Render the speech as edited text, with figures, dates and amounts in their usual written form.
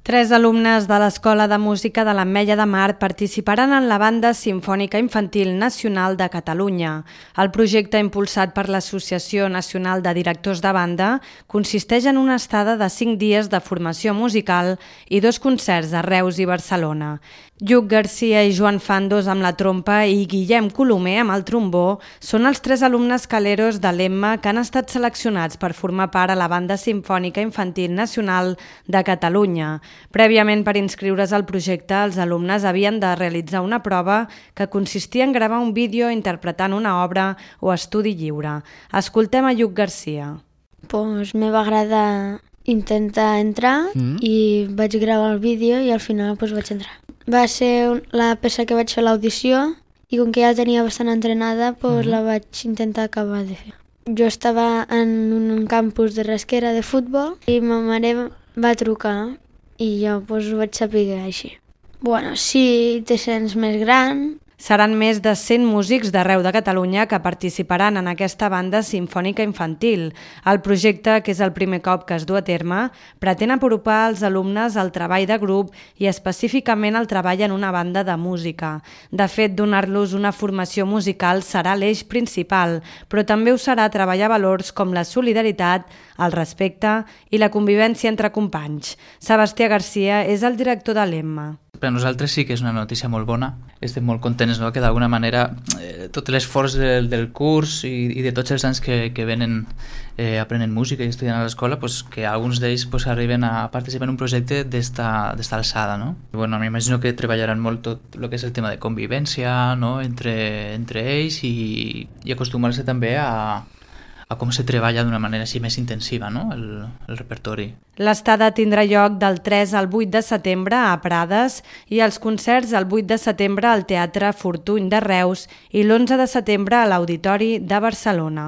3 alumnes de l'Escola de Música de l'Ametlla de Mar participaran en la Banda Simfònica Infantil Nacional de Catalunya. El projecte impulsat per l'Associació Nacional de Directors de Banda consisteix en una estada de 5 dies de formació musical i 2 concerts a Reus i Barcelona. Lluc Garcia i Joan Fandos amb la trompa i Guillem Colomer amb el trombó són els 3 alumnes caleros de l'EMMA que han estat seleccionats per formar part a la Banda Simfònica Infantil Nacional de Catalunya. Prèviament, per inscriure's al projecte, els alumnes havien de realitzar una prova que consistia en gravar un vídeo interpretant una obra o estudi lliure. Escoltem a Lluc Garcia. Pues me va agradar intentar entrar i vaig gravar el vídeo i al final pues, vaig entrar. Va ser la peça que vaig fer a l'audició i com que ja tenia bastant entrenada pues, la vaig intentar acabar de fer. Jo estava en un campus de Rasquera de futbol i ma mare va trucar i jo pues, ho vaig saber així. Bueno, si te sents més gran... Seran més de 100 músics d'arreu de Catalunya que participaran en aquesta banda simfònica infantil. El projecte, que és el primer cop que es du a terme, pretén apropar als alumnes al treball de grup i específicament el treball en una banda de música. De fet, donar-los una formació musical serà l'eix principal, però també ho serà treballar valors com la solidaritat, el respecte i la convivència entre companys. Sebastià Garcia és el director de l'EMMA. Per a nosaltres sí que és una notícia molt bona. Estem molt contents, no?, que d'alguna manera tot l'esforç del curs i de tots els anys que venen aprenent música i estudiant a l'escola, pues, que alguns d'ells pues, arriben a participar en un projecte d'esta alçada. No? Bueno, m'imagino que treballaran molt tot el que és el tema de convivència, no?, entre ells i acostumar-se també a com se treballa d'una manera així més intensiva, no?, el repertori. L'estada tindrà lloc del 3 al 8 de setembre a Prades i els concerts el 8 de setembre al Teatre Fortuny de Reus i l'11 de setembre a l'Auditori de Barcelona.